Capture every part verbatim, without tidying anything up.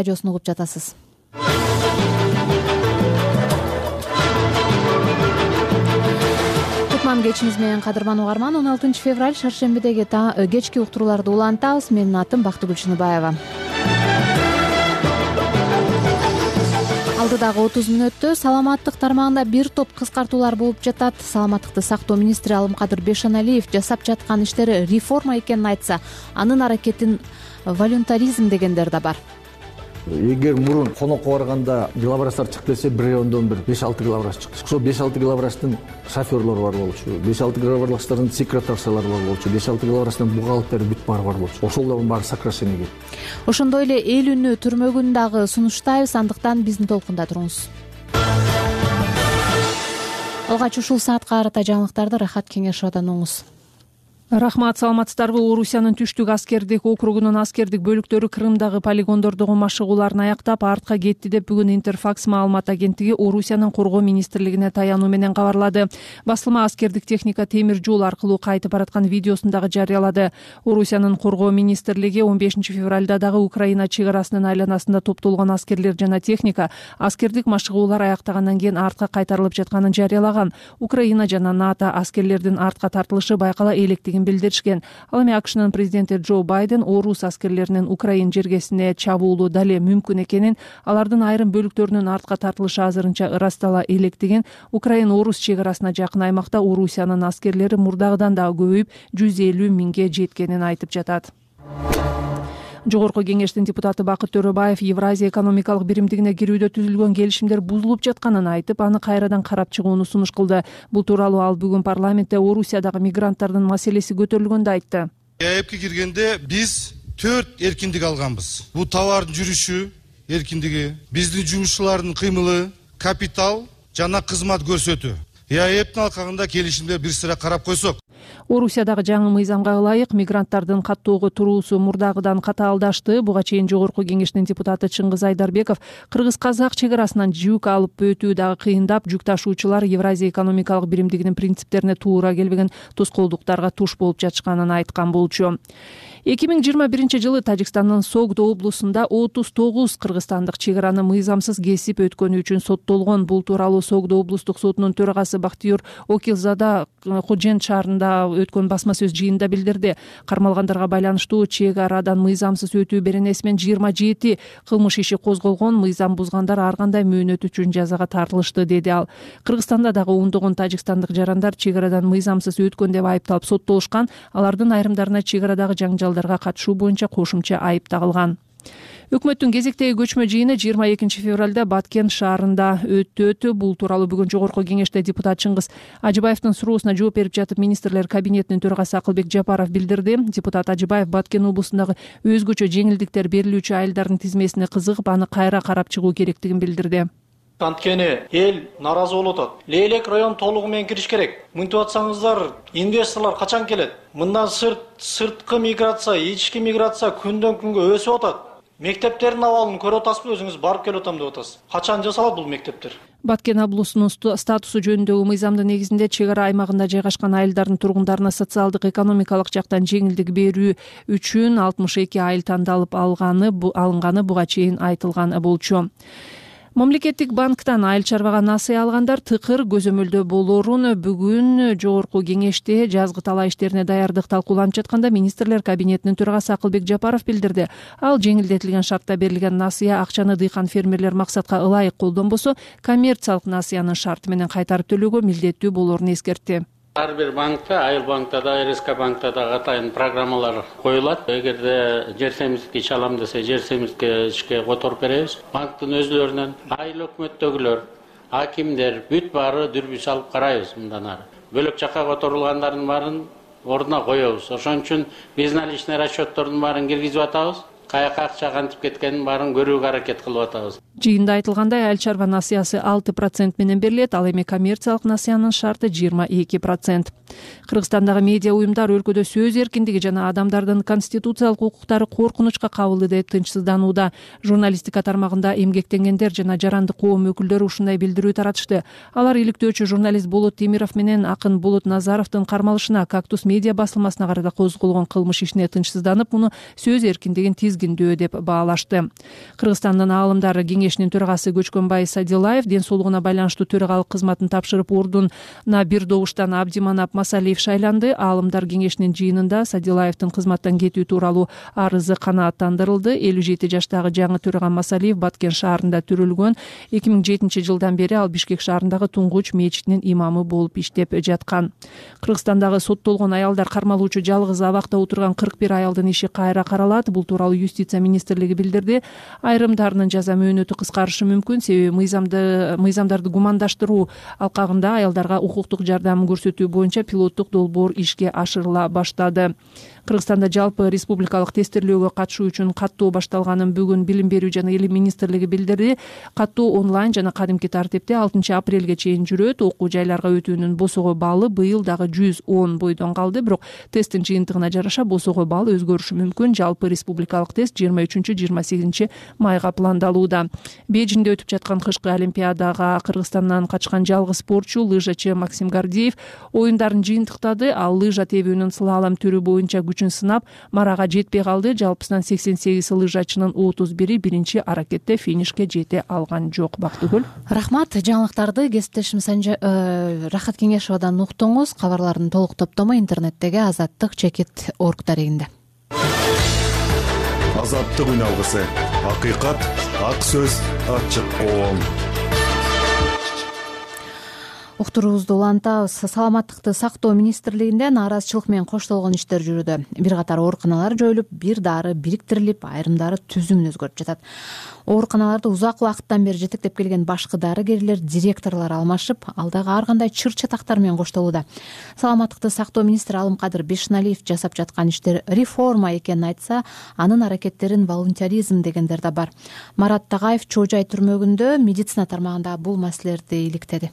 радиосун угуп жатасыз. Кутман кечиңиз менен кадырман угарман. он алтынчы февраль шаршембидеги кечки уктурууларды улантабыз. Менин атым Бактыгүл Чыныбаева. Алдыдагы отуз мүнөттө саламаттык тармагында бир топ кыскартуулар болуп жатат. Саламаттыкты сактоо министри Алымкадыр Бешеналиев жасап жаткан иштери реформа экенин айтса, анын аракетин волюнтаризм дегендер да бар. Эгер мурун конокко барганда главврачтар чыгып келсе, бир райондон бир беш алты главврач чыкты. Ошол беш алты главврачтын шофёрлору бар болчу, беш алты главврачтардын секретаршалары бар болчу, беш алты главврачтын бухгалтери бүт баары бар болчу. Ошолордун баары сокращениеге. Ошондой эле эл үнү түрмөгүн дагы сунуштайбыз, андыктан биздин толкунда туруңуз. Алгач ушул саатка карата жаңылыктарды Рахат Кеңешовдон угуңуз. Рахмат, саламатсыздарбы? Орусиянын түштүк аскердик округунун аскердик бөлүктөрү Крымдагы полигондордогу машыгууларын аяктап артка кетти деп бүгүн Интерфакс маалымат агенттиги Орусиянын коргоо министрлигине таянуу менен кабарлады. Басылма аскердик техника темир жол аркылуу кайтып бараткан видеосун дагы жарыялады. Орусиянын коргоо министрлиги он бешинчи февралда дагы Украина чек арасынын айланасында топтолгон аскерлер жана техника аскердик машыгуулар аяктагандан кийин артка кайтарылып жатканын жарыялаган. Украина жана НАТО аскерлердин артка тартылышы байкала электигин билдиришкен. Ал эми АКШнын президенти Джо Байден орус аскерлеринин Украин жергесине чабуулу дале мүмкүн экенин, алардын айрым бөлүктөрүнүн артка тартылышы азырынча ырастала электигин, Украин орус чек арасына жакын аймакта Орусиянын аскерлери мурдагыдан дагы көбөйүп жүз элүү миңге жеткенин айтып жатат. Жогорку кеңештин депутаты Бакыт Төрөбаев Евразия экономикалык биримдигине кирүүдө түзүлгөн келишимдер бузулуп жатканын айтып, аны кайрадан карап чыгууну сунуш кылды. Бул тууралуу ал бүгүн парламентте Орусиядагы мигранттардын маселеси көтөрүлгөндө айтты. ЕАЭПке киргенде биз төрт эркиндик алганбыз. Бул товардын жүрүшү эркиндиги, биздин жумушчулардын кыймылы, капитал жана кызмат көрсөтүү. ЕАЭПтин алкагында келишимдер бир сыра карап койсок. Орусиядагы жаңы мыйзамга ылайык мигранттардын каттоого туруусу мурдагыдан катаалдашты. Буга чейин Жогорку кеңештин депутаты Чыңгыз Айдарбеков кыргыз-казак чек арасынан жүк алып өтүү дагы кыйындап, жүк ташуучулар Евразия экономикалык биримдигинин принциптерине туура келбеген тоскоолдуктарга туш болуп жатышканын айткан болчу. эки миң жыйырма биринчи жылы Тажикстандын Согдо облусунда отуз тогуз кыргызстандык чек араны мыйзамсыз кесип өткөнү үчүн соттолгон. Бул тууралуу Согдо облустук сотунун төрагасы Бактыйыр Окилзада Хожен шаарында өткөн басма сөз жыйынында билдирди. Кармалгандарга байланыштуу чек арадан мыйзамсыз өтүү беренеси менен жыйырма жети кылмыш иши козголгон. Мыйзам бузгандар ар кандай мөөнөт үчүн жазага тартылышты, деди ал. Кыргызстанда дагы ондогон тажикстандык жарандар чек арадан мыйзамсыз өткөн деп айыпталып соттолушкан. Алардын айрымдарына чек арадагы жаңжалдарга катышуу боюнча кошумча айып тагылган. Өкмөттүн кезектеги көчмө жыйыны жыйырма экинчи февралда Баткен шаарында өттү. Бул тууралуу бүгүн Жогорку кеңеште депутат Чыңгыз Ажыбаевдин суроосуна жооп берип жатып министрлер кабинетинин төрагасы Акылбек Жапаров билдирди. Депутат Ажыбаев Баткен облусундагы өзгөчө жеңилдиктер берилүүчү айылдардын тизмесине кызыгып, аны кайра карап чыгуу керектигин билдирди. Анткени эл наразы болуп атат. Лейлек район толугу менен кириш керек. Мынтип атсаңыздар, инвесторлор качан келет? Мындан сырт, сырткы миграция, ички миграция күндөн күнгө өсүп атат. Мектептердин абалын көрүп атасызбы, өзүңүз барып келип атам деп атасыз. Качан жасалат бул мектептер? Баткен облусунун статусу жөнүндөгү мыйзамдын негизинде чек ара аймагында жайгашкан айылдардын тургундарына социалдык экономикалык жактан жеңилдик берүү үчүн алтымыш эки айыл тандалып алганы алынганы буга чейин айтылган болчу. Мамлекеттик банктан айыл чарбага насыя алгандар тыкыр көзөмөлдө болорун бүгүн Жогорку кеңеште жазгы талаа иштерине даярдык талкууланып жатканда министрлер кабинетинин төрагасы Акылбек Жапаров билдирди. Ал жеңилдетилген шартта берилген насыя акчаны дыйкан фермерлер максатка ылайык колдонбосо коммерциялык насыянын шарты менен кайтарып төлөөгө милдеттүү болорун эскертти. Ар бир банкта, айыл банкта да, РСК банкта да атайын программалар коюлат. Эгерде жер семиздикти ич алам десе, жер семиздикке ишке которуп беребиз. Банктын өзлөрүнөн айыл өкмөттөгүлөр, акимдер бүт баары дүрбү салып карайбыз мындан ары. Бөлөк жакка которулгандардын баарын ордуна коебуз. Ошон үчүн безналичный расчеттордун баарын киргизип атабыз. Каяка акча кантип кеткенин баарын көрүүгө аракет кылып атабыз. Жыйында айтылгандай, айыл чарба насыясы алты процент менен берилет, ал эми коммерциялык насыянын шарты жыйырма эки процент. Кыргызстандагы медиа уюмдар өлкөдө сөз эркиндиги жана адамдардын конституциялык укуктары коркунучка кабылды деп тынчсызданууда. Журналистика тармагында эмгектенгендер жана жарандык коом өкүлдөрү ушундай билдирүү таратышты. Алар иликтөөчү журналист Болот Темиров менен акын Болот Назаровдун кармалышына «Кактус» медиа басылмасына карата козголгон кылмыш ишине тынчсызданып, муну сөз эркиндигин тизгиндөө деп баалашты. Кыргызстандын аалымдар кеңешинин төрагасы Көчкөнбай Садилаев ден соолугуна байланыштуу төрагалык кызматын тапшырып, ордуна бир добуштан Абдиманап Масалиев шайланды. Аалымдар кеңешинин жыйынында Садилаевдин кызматтан кетүү тууралуу арызы канааттандырылды. элүү жети жаштагы жаңы төраган Масалиев Баткен шаарында төрөлгөн. эки миң жетинчи жылдан бери ал Бишкек шаарындагы Туңгуч мечитинин имамы болуп иштеп жаткан. Кыргызстандагы соттолгон аялдар кармалуучу жалгыз абакта отурган кырк бир аялдын иши кайра каралат. Бул тууралуу Юстиция министрлиги билдирди. Айрымдарынын жаза мөөнөтү кыскарышы мүмкүн, себеби мыйзамды мыйзамдарды гумандаштыруу алкагында аялдарга укуктук жардам көрсөтүү боюнча пилоттук долбоор ишке ашырыла баштады. Кыргызстанда жалпы республикалык тестирлөөгө катышуу үчүн каттоо башталганын бүгүн Билим берүү жана Илим министрлиги билдирди. Каттоо онлайн жана кадимки тартипте алтынчы апрелге чейин жүрөт. Окуу жайларга өтүүнүн босого баалы быйыл дагы жүз он бойдон калды, бирок тесттин жыйынтыгына жараша босого баал өзгөрүшү мүмкүн. Жалпы республикалык тест жыйырма үчүнчү жыйырма сегизинчи майга пландалууда. Бейжиңде өтүп жаткан кышкы олимпиадага Кыргызстандан качкан жалгыз спортчу лыжачы Максим Гордеев оюндарын жыйынтыктады. Ал лыжа тебүүнүн слалом түрү боюнча күчүн сынап, марага жетпей калды. Жалпысынан сексен сегиз лыжачынын отуз бири биринчи аракетте финишке жете алган жок. Бактыгүл. Рахмат. Жаңылыктарды кесиптешим Рахат Кеңешовадан уктуңуз. Кабарлардын толук топтому интернеттеги Азаттык чекит орг дарегинде. Азаттык үналгысы. Акыйкат, ак сөз, ачык коом. Уктуруубузду улантабыз. Саламаттыкты сактоо министрлигинде нааразычылык менен коштолгон иштер жүрүүдө. Бир катар ооруканалар жоюлуп, бир дары бириктирилип, айрымдары түзүмүн өзгөртүп жатат. Ооруканаларды узак убакыттан бери жетектеп келген башкы дарыгерлер, директорлор алмашып, ал дагы ар кандай чыр чатактар менен коштолууда. Саламаттыкты сактоо министри Алымкадыр Бешеналиев жасап жаткан иштер реформа экенин айтса, анын аракеттерин волонтеризм дегендер да бар. Марат Тагаев Чоо Жай түрмөгүндө медицина тармагында бул маселелерди иликтеди.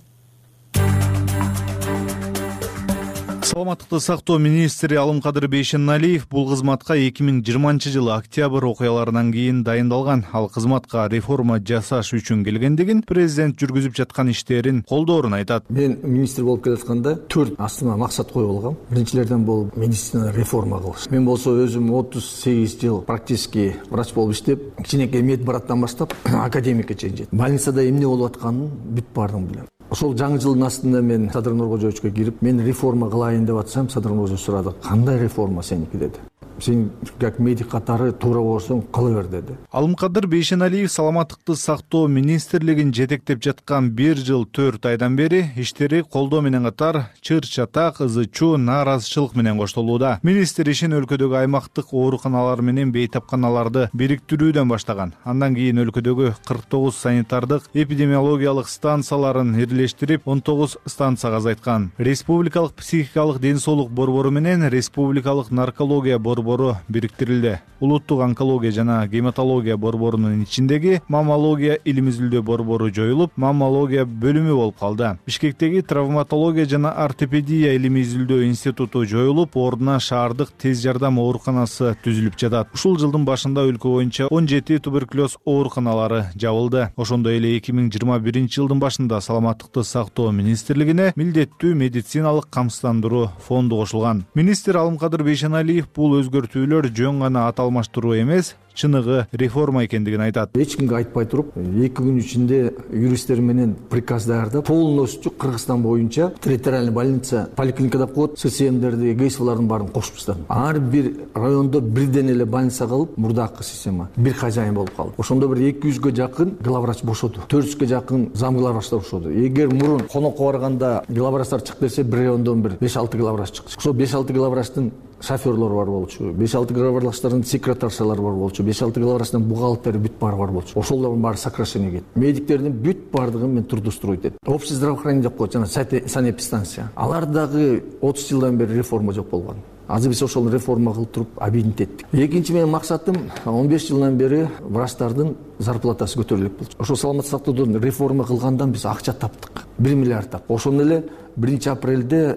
Саламаттыкты сактоо министри Алымкадыр Бейшеналиев бул кызматка эки миң жыйырманчы жылы октябрь окуяларынан кийин дайындалган. Ал кызматка реформа жасаш үчүн келгендигин, президент жүргүзүп жаткан иштерин колдоорун айтат. Мен министр болуп келатканда төрт астыма максат коюп алгам. Биринчилерден бул медицина реформа кылыш. Мен болсо өзүм отуз сегиз жыл практически врач болуп иштеп, кичинекей медбраттан баштап академикке чейин жеттим. Больницада эмне болуп атканын бүт бардыгын билем. Ошол жаңы жылдын астында мен Садыр Нуркожоевичке кирип, мен реформа кылайын деп атсам, Садыр Нуркожоевич сурады: "Кандай реформа сеники?" деди. "Сен как медик катары туура болсоң кыла бер" деди. Алымкадыр Бейшеналиев саламаттыкты сактоо министрлигин жетектеп жаткан бир жыл төрт айдан бери иштери колдоо менен катар чыр чатак, ызы чуу, нааразычылык менен коштолууда. Министр ишин өлкөдөгү аймактык ооруканалар менен бейтапканаларды бириктирүүдөн баштаган. Андан кийин өлкөдөгү кырк тогуз санитардык эпидемиологиялык станцияларын ирлештирип, он тогуз станцияга азайткан. Республикалык психикалык ден соолук борбору менен республикалык наркология борбору бириктирилди. Улуттук онкология жана гематология борборунун ичиндеги маммология илим изилдөө борбору жоюлуп, маммология бөлүмү болуп калды. Бишкектеги травматология жана ортопедия илим изилдөө институту жоюлуп, ордуна шаардык тез жардам ооруканасы түзүлүп жатат. Ушул жылдын башында өлкө боюнча он жети туберкулез ооруканалары жабылды. Ошондой эле эки миң жыйырма биринчи жылдын башында саламаттыкты сактоо министрлигине милдеттүү медициналык камсыздандыруу фонду кошулган. Министр Алымкадыр Бейшеналиев бул өзгөртүүлөр жөн гана ат алмаштыруу эмес, чыныгы реформа экендигин айтат. Эч кимге айтпай туруп, эки күн ичинде юристтер менен приказ даярдап, полностью Кыргызстан боюнча территориальный больница, поликлиника деп коет, ССМдерди, ГСВлардын баарын кошуп таштадым. Ар бир райондо бирден эле больница калып, мурдакы система бир хозяин болуп калды. Ошондо бир эки жүзгө жакын главврач бошоду, төрт жүзгө жакын зам главврачтар бошоду. Эгер мурун конокко барганда главврачтар чык десе, бир райондон бир беш алты главврач чыкты. Ошо беш алты главврачтын шоферлор бар болчу, беш алты главврачтардын секретаршалары бар болчу, беш алты главврачтын бухгалтери бүт баары бар болчу. Ошолордун баары сокращение кетти. Медиктердин бүт баардыгын мен трудоустроить эттим. Общее здравоохранение деп коет, жана санэпидстанция. Алар дагы отуз жылдан бери реформа жок болгон. азыр биз ошол реформа кылып туруп объединить эттик. Экинчи менин максатым он беш жылдан бери врачтардын зарплатасы көтөрүлүп болчу. Ошол саламаттык сактоодон реформа кылгандан биз акча таптык. бир миллиард таптык. Ошондо эле биринчи апрелде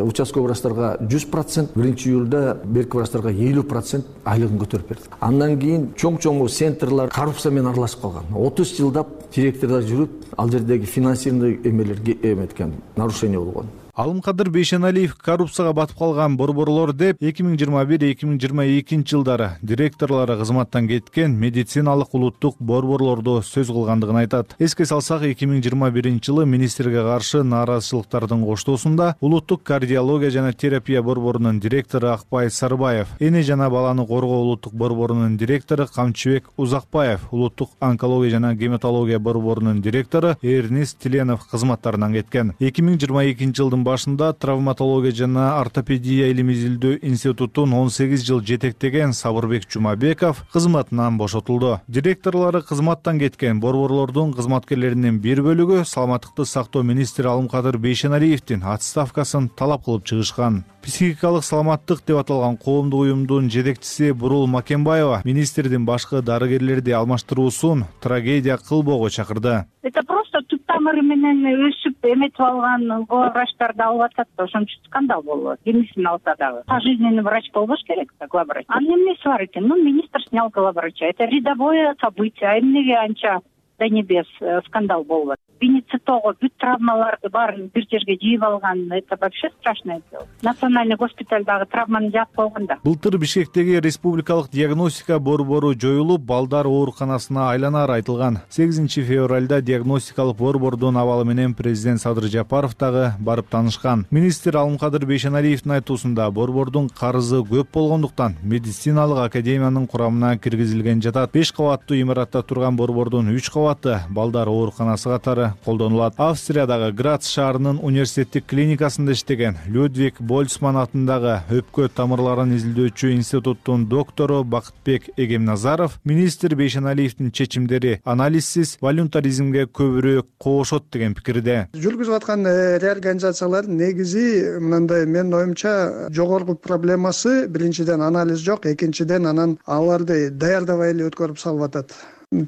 участковый врачтарга жүз процент, биринчи июлда берки врачтарга элүү процент айлыгын көтөрүп бердик. Андан кийин чоң-чоң центрлар коррупция менен аралашып калган. отуз жылдап директордор жүрүп, ал жердеги финансирование эмелерге эметкен, нарушение болгон. Алымкадыр Бейшеналиев коррупцияга батып калган борборлор деп эки миң жыйырма бир эки миң жыйырма экинчи жылдары директорлору кызматтан кеткен медициналык улуттук борборлордо сөз кылгандыгын айтат. Эске салсак, эки миң жыйырма биринчи жылы министрге каршы нааразычылыктардын коштоосунда улуттук кардиология жана терапия борборунун директору Акбай Сарбаев, эне жана баланы коргоо улуттук борборунун директору Камчыбек Узакбаев, улуттук онкология жана гематология борборунун директору Эрнис Тиленов кызматтарынан кеткен. эки миң жыйырма экинчи жылдын башында травматология жана ортопедия илим изилдөө институтун он сегиз жыл жетектеген Сабырбек Жумабеков кызматынан бошотулду. Директорлору кызматтан кеткен борборлордун кызматкерлеринин бир бөлүгү саламаттыкты сактоо министри Алымкадыр Бейшеналиевдин отставкасын талап кылып чыгышкан. Психикалык саламаттык деп аталган коомдук уюмдун жетекчиси Бурул Макенбаева министрдин башкы дарыгерлерди алмаштыруусун трагедия кылбоого чакырды. Это просто түп тамыры менен өсүп эметип алган главврачтарды алып атат да, ошон үчүн скандал болот. Кимисин алса дагы пожизненный врач болбош керек да, главврач. Анын эмнеси бар экен? Ну, министр снял главврача. Это рядовое событие. А эмнеге анча до небес скандал болот? Бенецитого бүт травмаларды баарын бир жерге жыйып алган. Это вообще страшное дело. Национальный госпитальдагы травманы жаап койгонда. Былтыр Бишкектеги республикалык диагностика борбору жоюлуп, балдар ооруканасына айланары айтылган. сегизинчи февралда диагностикалык борбордун абалы менен президент Садыр Жапаров дагы барып таанышкан. Министр Алымкадыр Бейшеналиевдин айтуусунда борбордун карызы көп болгондуктан медициналык академиянын курамына киргизилген жатат. беш кабаттуу имаратта турган борбордун үч кабаты балдар ооруканасы катары колдонулат. Австриядагы Грац шаарынын университеттик клиникасында иштеген Людвиг Больцман атындагы өпкө тамырларын изилдөөчү институттун доктору Бакытбек Эгемназаров министр Бейшеналиевдин чечимдери анализсиз волюнтаризмге көбүрөөк коошот деген пикирде. Жүргүзүп аткан реорганизациялар негизи мындай, менин оюмча, жогорку проблемасы биринчиден анализ жок, экинчиден анан аларды даярдабай эле өткөрүп салып атат.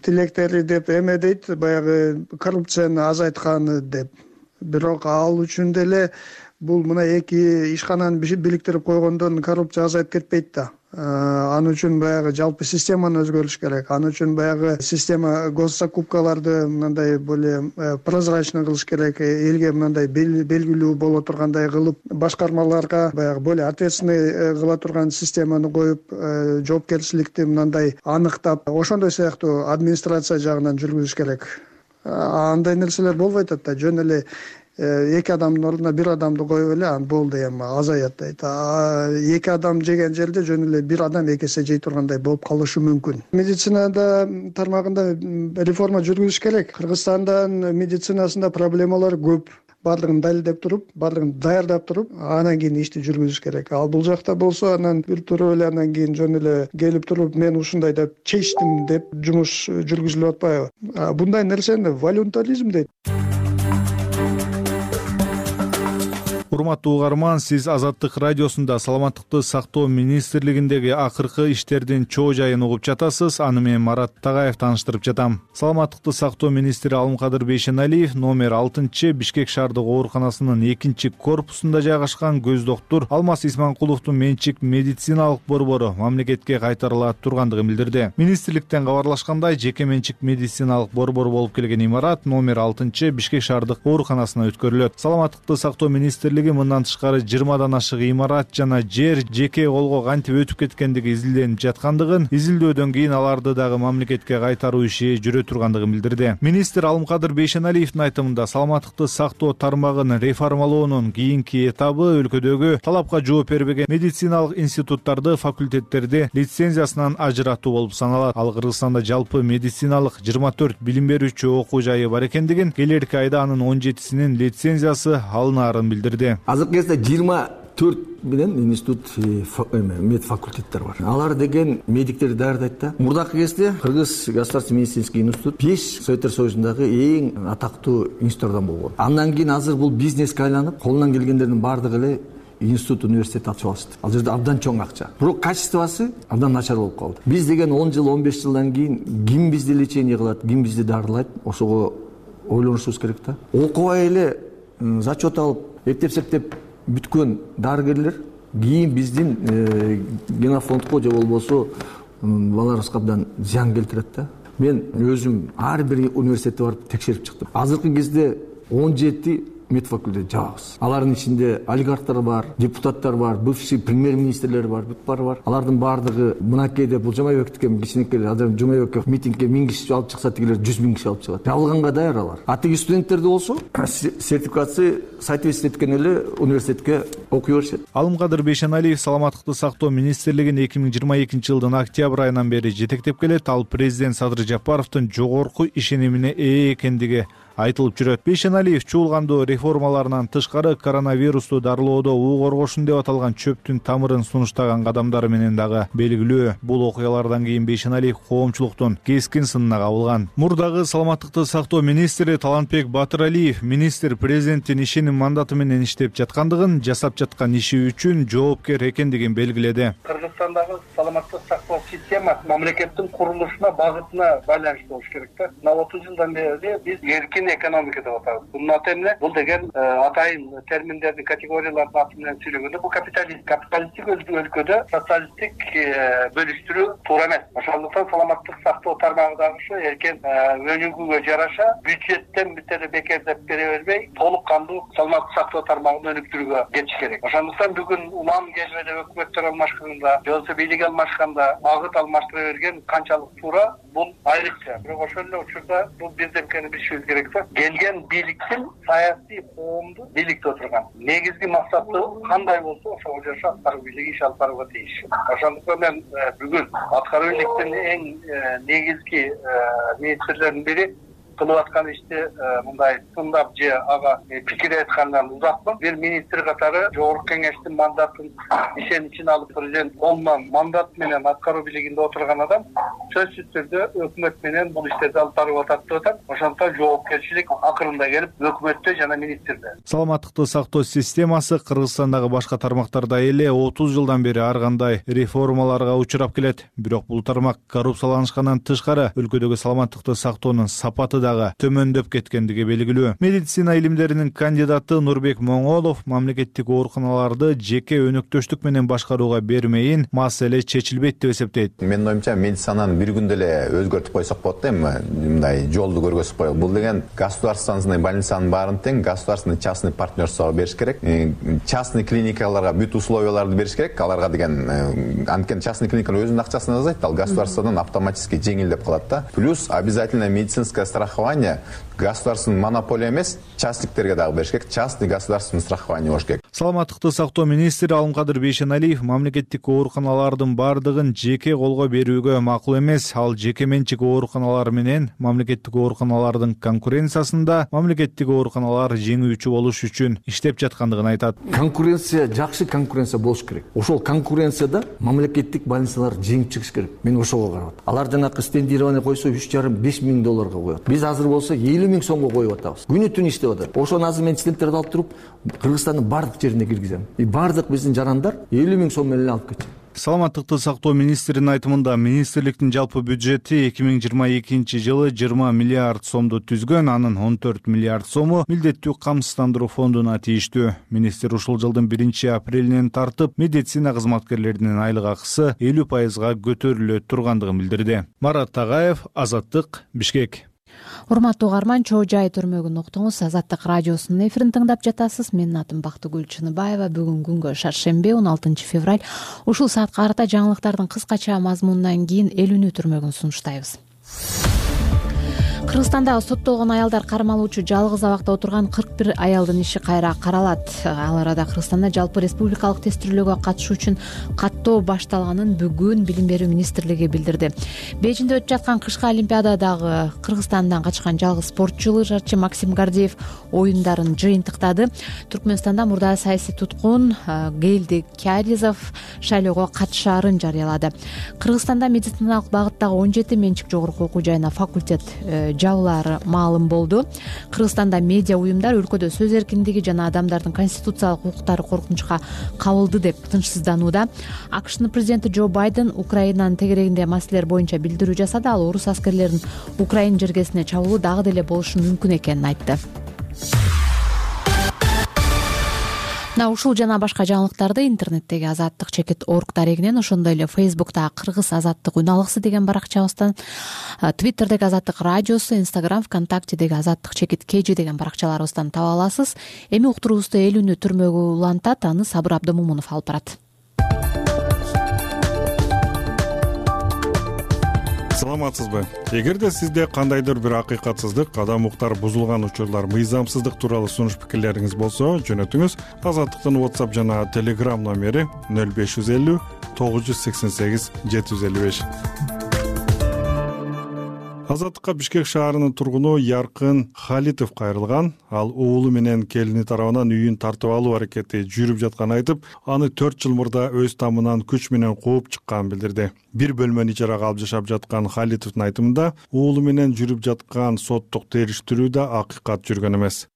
Тилектери деп эме дейт, баягы коррупцияны азайтканы деп. Бирок ал үчүн деле бул мына эки ишкананы бириктирип койгондон коррупция азайып кетпейт да. Аны үчүн баягы жалпы системаны өзгөрүш керек. Аны үчүн баягы система госзакупкаларды мындай более прозрачный кылыш керек. Элге мындай белгилүү боло тургандай кылып, башкармаларга баягы более ответственный кыла турган системаны коюп, жоопкерчиликти мындай аныктап, ошондой сыяктуу администрация жагынан жүргүзүш керек. Андай нерселер болбой атат да, жөн эле эки адамдын ордуна бир адамды коюп эле анан болду, эми азаят дейт. Эки адам жеген жерде жөн эле бир адам эки эсе жей тургандай болуп калышы мүмкүн. Медицинада тармагында реформа жүргүзүш керек. Кыргызстандын медицинасында проблемалар көп. Бардыгын далилдеп туруп, бардыгын даярдап туруп, анан кийин ишти жүргүзүш керек. Ал бул жакта болсо, анан бир туруп эле анан кийин жөн эле келип туруп, мен ушундай деп чечтим деп жумуш жүргүзүлүп атпайбы? Bunday нерсени волюнтаризм дейт. Урматтуу угарман, сиз Азаттык радиосунда саламаттыкты сактоо министрлигиндеги акыркы иштердин чоо жайын угуп жатасыз. Аны мен Марат Тагаев тааныштырып жатам. Саламаттыкты сактоо министри Алымкадыр Бейшеналиев номер алтынчы Бишкек шаардык ооруканасынын экинчи корпусунда жайгашкан көз доктур Алмаз Исманкуловдун менчик медициналык борбору мамлекетке кайтарыла тургандыгын билдирди. Министрликтен кабарлашкандай, жеке менчик медициналык борбор болуп келген имарат номер алтынчы Бишкек шаардык ооруканасына өткөрүлөт. Саламаттыкты сактоо министрлиги мындан тышкары жыйырмадан ашык имарат жана жер жеке колго кантип өтүп кеткендиги изилденип жаткандыгын, изилдөөдөн кийин аларды дагы мамлекетке кайтаруу иши жүрө тургандыгын билдирди. Министр Алымкадыр Бейшеналиевдин айтымында саламаттыкты сактоо тармагын реформалоонун кийинки этабы өлкөдөгү талапка жооп бербеген медициналык институттарды, факультеттерди лицензиясынан ажыратуу болуп саналат. Ал Кыргызстанда жалпы медициналык жыйырма төрт билим берүүчү окуу жайы бар экендигин, келерки айда анын он жетисинин лицензиясы алынаарын билдирди. Азыркы кезде жыйырма төрт менен институт мед факультеттер бар. Алар деген медиктерди даярдайт да. Мурдакы кезде Кыргыз государственный медицинский институт беш Советтер Союзундагы эң атактуу институттардан болгон. Андан кийин азыр бул бизнеске айланып, колунан келгендердин баардыгы эле институт университет ачып алышты. Ал жерде абдан чоң акча. Бирок качествосы абдан начар болуп калды. Биз деген он жыл он беш жылдан кийин ким бизди лечение кылат, ким бизди дарылайт, ошого ойлонушубуз керек да. Окубай эле зачет алып, эптеп-септеп бүткөн дарыгерлер кийин биздин генофондко же болбосо балдарыбызга абдан зыян келтирет да. Мен өзүм ар бир университетке барып текшерип чыктым. Азыркы кезде он жети медфакультет жабабыз. Алардын ичинде олигархтар бар, депутаттар бар, бывший премьер-министрлер бар, бүт баары бар. Алардын баардыгы мынакейде бул Жумабековдуке кичинекей азыр Жумабеков митингге миң киши алып чыкса, тигилер жүз миң киши алып чыгат. Жабылганга даяр алар. А тиги студенттерди болсо сертификация соответствие эткен эле университетке окуй беришет. Алымкадыр Бейшеналиев саламаттыкты сактоо министрлигин эки миң жыйырма экинчи жылдын октябрь айынан бери жетектеп келет. Ал президент Садыр Жапаровдун жогорку ишенимине ээ экендиги айтылып жүрөт. Бейшеналиев чуулгандоо реформаларынан тышкары коронавирусту дарылоодо уу коргошун деп аталган чөптүн тамырын сунуштаган кадамдары менен дагы белгилүү. Бул окуялардан кийин Бейшеналиев коомчулуктун кескин сынына кабылган. Мурдагы саламаттыкты сактоо министри Талантбек Батыралиев министр президенттин ишеним мандаты менен иштеп жаткандыгын, жасап жаткан иши үчүн жоопкер экендигин белгиледи. Кыргызстандагы саламаттык сактоо системасы мамлекеттин курулушуна, багытына байланыштуу болуш керек да. Мына отуз жылдан бери биз эркин экономика деп атабыз. Бунун аты эмне? Бул деген атайын терминдердин, категориялардын аты менен сүйлөгөндө бул капиталист. Капиталисттик өлкөдө социалисттик бөлүштүрүү туура эмес. Ошондуктан саламаттык сактоо тармагы дагы ушу эркен өнүгүүгө жараша бюджеттен бүтө бекердеп бере бербей, толук кандуу саламаттык сактоо тармагын өнүктүрүүгө кетиш керек. Ошондуктан бүгүн улам келбеде өкмөттөр алмашканда, же болбосо бийлик алмашканда багыт алмаштыра берген канчалык туура, бул айрыкча. Бирок ошол эле учурда бул бирдемкени билишибиз керек. Келген бийликтин саясий коомду бийликте отурган негизги максаты кандай болсо ошого жараша аткаруу бийлиги иш алып барууга тийиш. Ошондуктан мен бүгүн аткаруу бийликтин эң негизги министрлердин бири кылып аткан ишти мындай тыңдап же ага пикир айткандан узакмын. Бир министр катары жогорку кеңештин мандатын ишеничин алып президент колунан мандат менен аткаруу бийлигинде отурган адам сөзсүз түрдө өкмөт менен бул иштерди алып барып атат деп атам. Ошондуктан жоопкерчилик акырында келип өкмөттө жана министрде. Саламаттыкты сактоо системасы Кыргызстандагы башка тармактарда эле отуз жылдан бери ар кандай реформаларга учурап келет. Бирок бул тармак коррупцияланышкандан тышкары өлкөдөгү саламаттыкты сактоонун сапаты төмөндөп кеткендиги белгилүү. Медицина илимдеринин кандидаты Нурбек Моңолов мамлекеттик ооруканаларды жеке өнөктөштүк менен башкарууга бермейин, маселе чечилбейт деп эсептейт. Менин оюмча медицинаны бир күндө эле өзгөртүп койсок болот да, эми мындай жолду көргөзүп коелу. Бул деген государственный больницанын баарын тең государственный частный партнерствого бериш керек. Частный клиникаларга бүт условияларды бериш керек. Аларга деген анткени частный клиникалар өзүнүн акчасын жасайт, ал государстводон автоматически жеңилдеп калат да. Плюс обязательно медицинское страхование государственный монополия эмес, частниктерге дагы бериш керек. Частный государственный страхование болуш керек. Саламаттыкты сактоо министри Алымкадыр Бейшеналиев мамлекеттик ооруканалардын бардыгын жеке колго берүүгө макул эмес. Ал жеке менчик ооруканалар менен мамлекеттик ооруканалардын конкуренциясында мамлекеттик ооруканалар жеңүүчү болуш үчүн иштеп жаткандыгын айтат. Конкуренция, жакшы конкуренция болуш керек. Ошол конкуренцияда мамлекеттик больницалар жеңип чыгыш керек. Мен ошого карап атам. Алар жанакы стендирование койсо үч жарым беш миң долларга коет. Биз азыр болсо элүү миң сомго коюп атабыз. Күнү түн иштеп атат. Ошону азыр мен студенттерди алып туруп Кыргызстандын бардык жерине киргизем. И бардык биздин жарандар элүү миң сом менен алып кетет. Саламаттыкты сактоо министринин айтымында министрликтин жалпы бюджети эки миң жыйырма экинчи жылы жыйырма миллиард сомду түзгөн, анын он төрт миллиард сому милдеттүү камсыздандыруу фондуна тийиштүү. Министр ушул жылдын биринчи апрелинен тартып медицина кызматкерлеринин айлык акысы элүү пайызга көтөрүлө тургандыгын билдирди. Марат Тагаев, Азаттык, Бишкек. Урматтуу угарман, чоо жай төрмөгүн уктуңуз. Азаттык радиосунун эфирин тыңдап жатасыз. Менин атым Бактыгүл Чыныбаева. Бүгүн күнгө шаршемби, он алтынчы февраль. Ушул саат карата жаңылыктардын кыскача мазмунунан кийин элүүнү түрмөгүн сунуштайбыз. Кыргызстандагы соттолгон аялдар кармалуучу жалгыз абакта отурган кырк бир аялдын иши кайра каралат. Ал арада Кыргызстанда жалпы республикалык тестирөөгө катышуу үчүн каттоо башталганын бүгүн Билим берүү министрлиги билдирди. Бейжиңде өтүп жаткан кышкы олимпиададагы Кыргызстандан качкан жалгыз спортчу лыжачы Максим Гордеев оюндарын жыйынтыктады. Түркмөнстанда мурда саясий туткун Гелди Кяризов шайлоого катышаарын жарыялады. Кыргызстанда медициналык багыттагы он жети менчик жогорку окуу жайына факультет жабылаары маалым болду. Кыргызстанда медиа уюмдар өлкөдө сөз эркиндиги жана адамдардын конституциялык укуктары коркунучка кабылды деп тынчсызданууда. АКШнын президенти Джо Байден Украинанын тегерегинде маселелер боюнча билдирүү жасады. Ал орус аскерлеринин Украина жергесине чабуулу дагы деле болушу мүмкүн экенин айтты. Мына ушул жана башка жаңылыктарды интернеттеги азаттык чекит орг дарегинен, ошондой эле Фейсбуктагы Кыргыз азаттык үналыксы деген баракчабыздан, Твиттердеги азаттык радиосу, Инстаграм, ВКонтактедеги азаттык чекит кежи деген баракчаларыбыздан таба аласыз. Эми уктуруубузду эл үнү түрмөгү улантат, аны Сабыр Абдымомунов алып барат. Саламатсызбы? Эгерде сизде кандайдыр бир акыйкатсыздык, адам укуктары бузулган учурлар, мыйзамсыздык тууралуу сунуш пикирлериңиз болсо, жөнөтүңүз. Азаттыктын WhatsApp жана Telegram номери нөл беш жүз элүү тогуз жүз сексен сегиз жети жүз элүү беш. Азаттыкка Бишкек шаарынын тургуну Яркын Халитов кайрылган. Ал уулу менен келини тарабынан үйүн тартып алуу аракети жүрүп жатканын айтып, аны төрт жыл мурда өз тамынан күч менен кууп чыкканын билдирди. Бир бөлмөнү ижарага алып жашап жаткан Халитовдун айтымында, уулу менен жүрүп жаткан соттук териштирүү да акыйкат жүргөн эмес.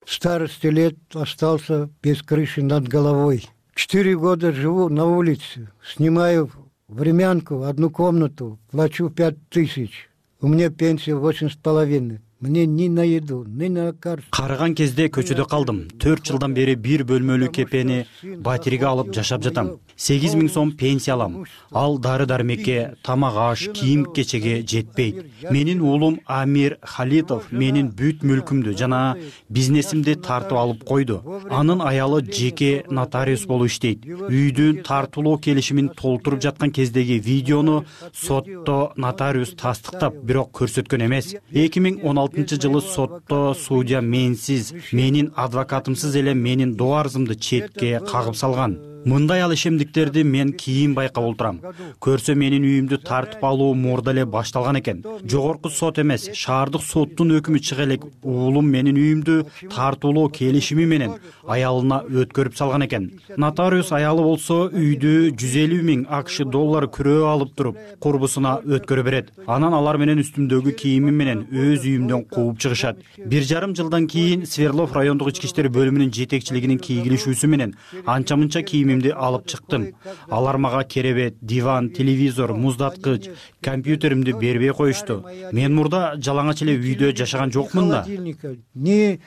Старости лет остался без крыши над головой. Четыре года живу на улице, снимаю времянку, одну комнату, плачу пять тысяч. У меня пенсия восемь с половиной. Мне ни на еду, ни на лекарство. Карыган кезде көчөдө калдым. төрт жылдан бери бир бөлмөлүү кепени батириге алып жашап жатам. сегиз миң сом пенсия алам. Ал дары дармекке, тамак аш, кийим кечеге жетпейт. Менин уулум Амир Халитов менин бүт мүлкүмдү жана бизнесимди тартып алып койду. Анын аялы жеке нотариус болуп иштейт. Үйдүн тартуулоо келишимин толтуруп жаткан кездеги видеону сотто нотариус тастыктап, бирок көрсөткөн эмес. эки миң он алтынчы жылы сотто судья менсиз, менин адвокатымсыз эле менин доо арызымды четке кагып салган. Мындай ал ишемдиктерди мен кийин байкап олтурам. Көрсө менин үйүмдү тартып алуу мурда эле башталган экен. Жогорку сот эмес, шаардык соттун өкүмү чыга элек уулум менин үйүмдү тартуулоо келишими менен аялына өткөрүп салган экен. Нотариус аялы болсо үйдү жүз элүү миң АКШ доллар күрөө алып туруп, курбусуна өткөрө берет. Анан алар менен үстүмдөгү кийимим менен өз үйүмдөн кууп чыгышат. Бир жарым жылдан кийин Сверлов райондук ички иштер бөлүмүнүн жетекчилигинин кийгилишүүсү менен анча-мынча кийимимди алып чыктым. Алар мага керебет, диван, телевизор, муздаткыч, компьютеримди бербей коюшту. Мен мурда жалаңач эле үйдө жашаган жокмун да. Ни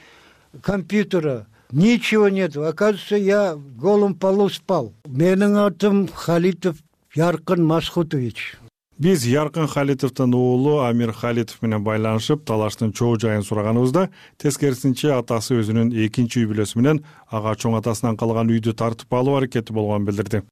компьютера, ничего нет. Оказывается, я в голом полу спал. Менин атым Халитов Яркын Масхутович. Биз Яркын Халитовдун уулу Амир Халитов менен байланышып, талаштын чоо жайын сураганыбызда, тескерисинче атасы өзүнүн экинчи үй бүлөсү менен ага чоң атасынан калган үйдү тартып алуу аракети болгонун билдирди.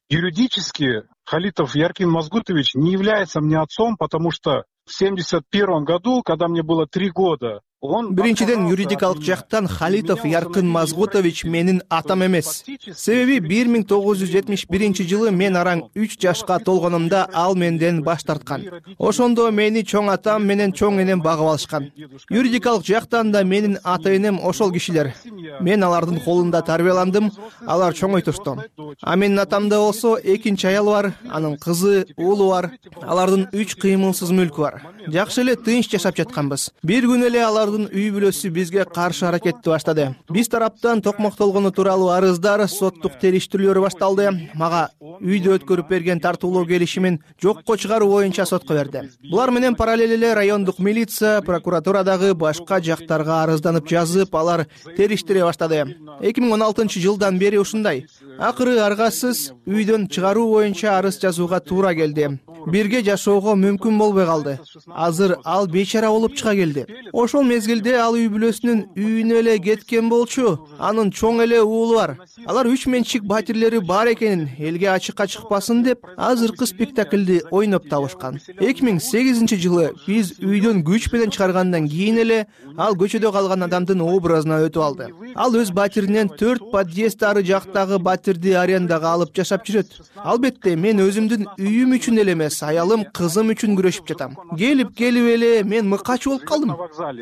Юридически Халитов Яркин Мазгутович не является мне отцом, потому что в семьдесят первом году, когда мне было три года, Биринчиден, юридикалык жактан Халитов Яркын Мазгутович менин атам эмес. Себеби бир миң тогуз жүз жетимиш биринчи жылы мен араң үч жашка толгонумда ал менден баш тарткан. Ошондо мени чоң атам менен чоң энем багып алышкан. Юридикалык жактан да менин ата энем ошол кишилер. Мен алардын колунда тарбияландым, алар чоңойтушту. А менин атамда болсо экинчи аял бар, анын кызы, уулу бар. Алардын үч кыймылсыз мүлкү бар. Жакшы эле тынч жашап жатканбыз. Бир күн эле алардын үй бүлөсү бизге каршы аракетти баштады. Биз тараптан токмоктолгону тууралуу арыздар, соттук териштирүүлөр башталды. Мага үйдө өткөрүп берген тартуулоо келишимин жокко чыгаруу боюнча сотко берди. Булар менен параллель эле райондук милиция, прокуратурадагы башка жактарга арызданып жазып, алар териштире баштады. эки миң он алтынчы жылдан бери ушундай. Акыры аргасыз үйдөн чыгаруу боюнча арыз жазууга туура келди. Бирге жашоого мүмкүн болбой калды. Азыр ал бейчара болуп чыга келди. Ошол мезгилде ал үй бүлөсүнүн үйүнө эле кеткен болчу. Анын чоң эле уулу бар. Алар үч менчик батирлери бар экенин элге ачыкка чыкпасын деп, азыркы спектаклди ойноп табышкан. эки миң сегизинчи жылы биз үйдөн күч менен чыгаргандан кийин эле ал көчөдө калган адамдын образына өтүп алды. Ал өз батиринен төрт подъезд ары жактагы батирди арендага алып жашап жүрөт. Албетте мен өзүмдүн үйүм үчүн эле эмес, аялым, кызым үчүн күрөшүп жатам. Келип келип эле мен мыкач болуп калдым.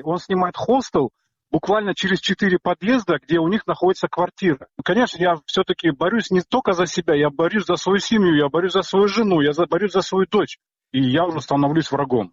Он снимает хостел буквально через четыре подъезда, где у них находится квартира. Конечно, я все-таки борюсь не только за себя, я борюсь за свою семью, я борюсь за свою жену, я борюсь за свою дочь. И я уже становлюсь врагом.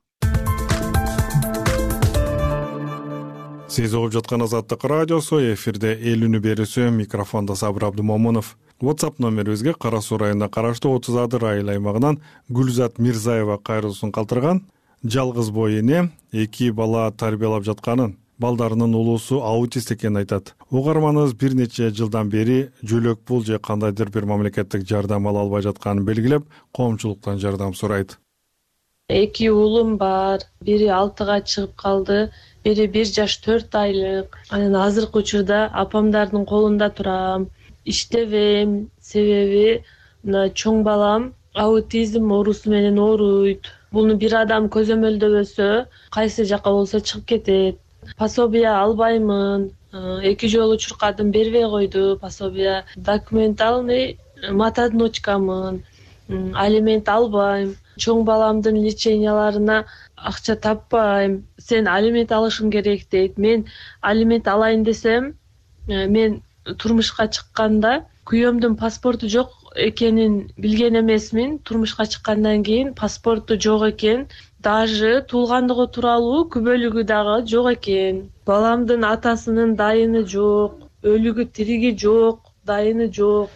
Сиз угуп жаткан Азаттык радиосу, эфирде эл үнү берүүсү, микрофондо Сабыр Абдымомунов. WhatsApp номерибизге Кара Суу районуна караштуу отуз адыр айыл аймагынан Гүлзат Мирзаева кайрылуусун калтырган. Жалгыз бой эне эки бала тарбиялап жатканын, балдарынын улуусу аутист экенин айтат. Угарманыбыз бир нече жылдан бери жөлөк пул же кандайдыр бир мамлекеттик жардам ала албай жатканын белгилеп, коомчулуктан жардам сурайт. Эки уулум бар, бири алтыга чыгып калды, бири бир жаш төрт айлык. Анан азыркы учурда апамдардын колунда турам, иштебейм, себеби мына чоң балам аутизм оорусу менен ооруйт. Буну бир адам көзөмөлдөбөсө, кайсы жака болсо чыгып кетет. Пособие албаймын, эки жолу чуркадым, бербей койду пособие. Документальный матодночкамын, алимент албайм. Чоң баламдын леченияларына акча таппайм. Сен алимент алышың керек дейт. Мен алимент алайын десем, мен турмушка чыкканда күйөөмдүн паспорту жок экенин билген эмесмин. Турмушка чыккандан кийин паспорту жок экен. Даже туулгандыгы тууралуу күбөлүгү дагы жок экен. Баламдын атасынын дайыны жок, өлүгү тириги жок, дайыны жок.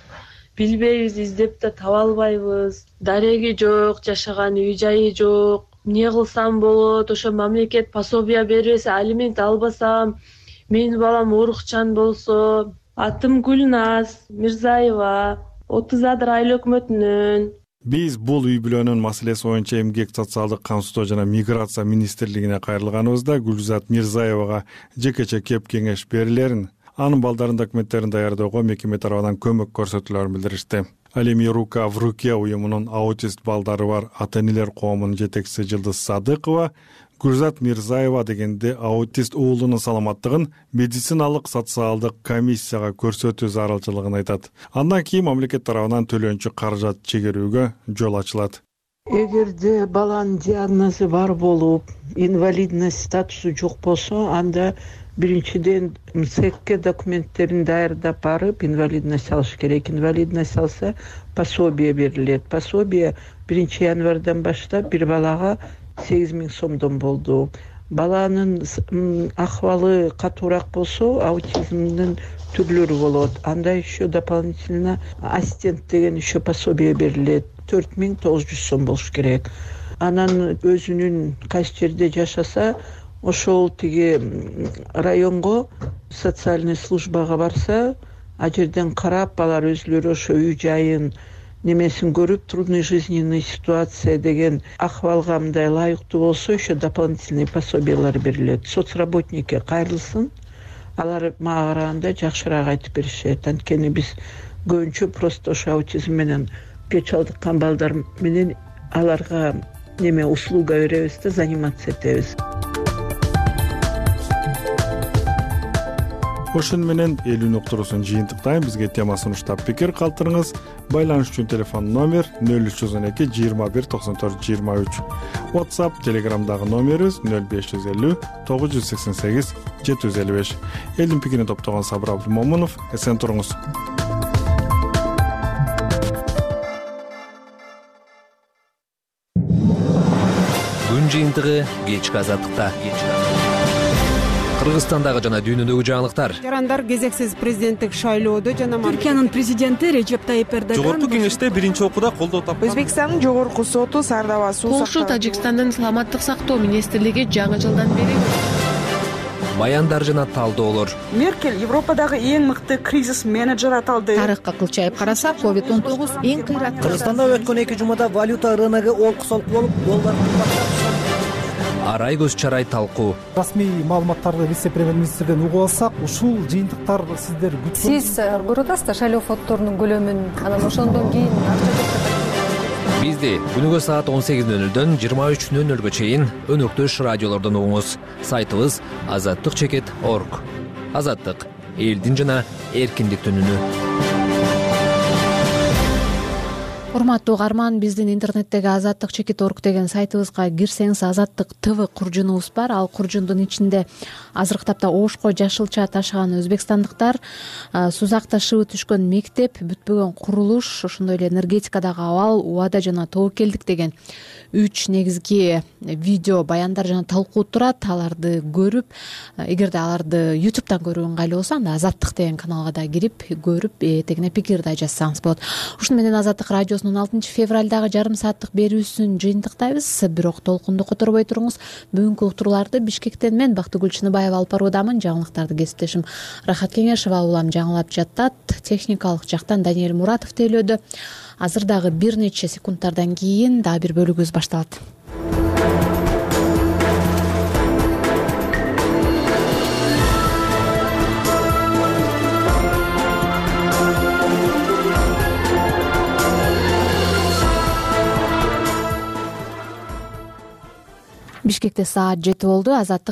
Билбейбиз, издеп да таба албайбыз. Дареги жок, жашаган үй жайы жок. Эмне кылсам болот? Ошо мамлекет пособие бербесе, алимент албасам, менин балам оорукчан болсо. Атым Гүлназ Мирзаева, отуз адыр айыл өкмөтүнөн. Биз бул үй бүлөнүн маселеси боюнча Эмгек социалдык камсыздоо жана миграция министрлигине кайрылганыбызда Гүлзат Мирзаевага жекече кеп кеңеш берилерин, анын балдарынын документтерин даярдоого мекеме тарабынан көмөк көрсөтүлөрүн билдиришти. Ал эми Рука в руке уюмунун аутист балдары бар ата-энелер коомунун жетекчиси Жылдыз Садыкова Гүлзат Мирзаева дегенде аутист уулунун саламаттыгын медициналык социалдык комиссияга көрсөтүү зарылчылыгын айтат. Андан кийин мамлекет тарабынан төлөнчү каражат чегерүүгө жол ачылат. Эгерде баланын диагнозу бар болуп, инвалидность статусу жок болсо, анда биринчиден МСЭКке документтерин даярдап барып, инвалидность алыш керек. Инвалидность алса, пособие берилет. Пособие биринчи январдан баштап бир балага сегиз миң сомдон болду. Баланын акыбалы катуураак болсо, аутизмдин түрлөрү болот. Анда еще дополнительно ассистент деген еще пособие берилет. төрт миң тогуз жүз сом болуш керек. Анан өзүнүн кайсы жерде жашаса, ошол тиги районго социальный службага барса, а жерден карап, алар өзүлөрү ошо үй жайын немесин көрүп, трудный жизненный ситуация деген акыбалга мындай лайыктуу болсо, еще дополнительный пособиялар берилет. Соцработникке кайрылсын, алар мага караганда жакшыраак айтып беришет. Анткени биз көбүнчө просто ошо аутизм менен кеч алдыккан балдар менен аларга неме услуга беребиз да, заниматься этебиз. Ошон менен эл үнү уктуруусун жыйынтыктайм. Бизге тема сунуштап пикир калтырыңыз. Байланыш үчүн телефон номер нөл үч жүз он эки жыйырма бир токсон төрт жыйырма үч. WhatsApp, Telegramдагы номерибиз нөл беш жүз элүү тогуз жүз сексен сегиз жети жүз элүү беш. Элдин пикирин топтогон Сабыр Абдымомунов. Эсен туруңуз. Күн жыйынтыгы кечки азаттыкта. Кыргызстандагы жана дүйнөдөгү жаңылыктар. Жарандар кезексиз президенттик шайлоодо жана Түркиянын президенти Режеп Тайип Эрдоган жогорку кеңеште биринчи окууда колдоо тапкан. Өзбекстандын жогорку соту Сардаба суу Польша Тажикстандын саламаттык сактоо министрлиги жаңы жылдан бери баяндар жана талдоолор. Меркель Европадагы эң мыкты кризис менеджер аталды. Тарыхка кылчайып карасак, ковид он тогуз эң кыйраттуу. Кыргызстанда өткөн эки жумада валюта рыногу олку-солку болуп, доллар кымбаттап. Арай көз чарай талкуу. Расмий маалыматтарды вице-премьер-министрден угуп алсак, ушул жыйынтыктар сиздер күткөн. Сиз көрүп да шайлоо фонддорунун көлөмүн, анан ошондон кийин Бизди күнүгө саат он сегиз нөл нөлдөн жыйырма үч нөл нөлгө чейин өнөктөш радиолордон угуңуз. Сайтыбыз азаттык чекит точка орг. Азаттык элдин жана эркиндиктин үнү. урматтуу угарман, биздин интернеттеги азаттык чекит орг деген сайтыбызга кирсеңиз азаттык тв куржунубуз бар. Ал куржундун ичинде азыркы тапта ошко жашылча ташыган өзбекстандыктар, сузак ташыбы түшкөн мектеп, бүтпөгөн курулуш, ошондой эле энергетикадагы абал, убада жана тобокелдик деген үч негизги видео баяндар жана талкуу турат. Аларды көрүп, эгерде аларды ютубтан көрүү ыңгайлуу болсо, анда азаттык деген каналга да кирип көрүп, этегине пикир да жазсаңыз болот. Ушуну менен азаттык радиосунун алтынчы февралдагы жарым сааттык берүүсүн жыйынтыктайбыз. Бирок толкунду которбой туруңуз. Бүгүнкү уктурууларды Бишкектен мен Бактыгүл Чыныбаева алып баруудамын. Жаңылыктарды кесиптешим Рахат Кеңешова улам жаңылап жатат. Техникалык жактан Даниэль Муратов тейлөөдө. Азыр дагы бир нече секундтардан кийин дагы бир бөлүгүбүз башталат. Бишкекте саат жети болду. Азаттык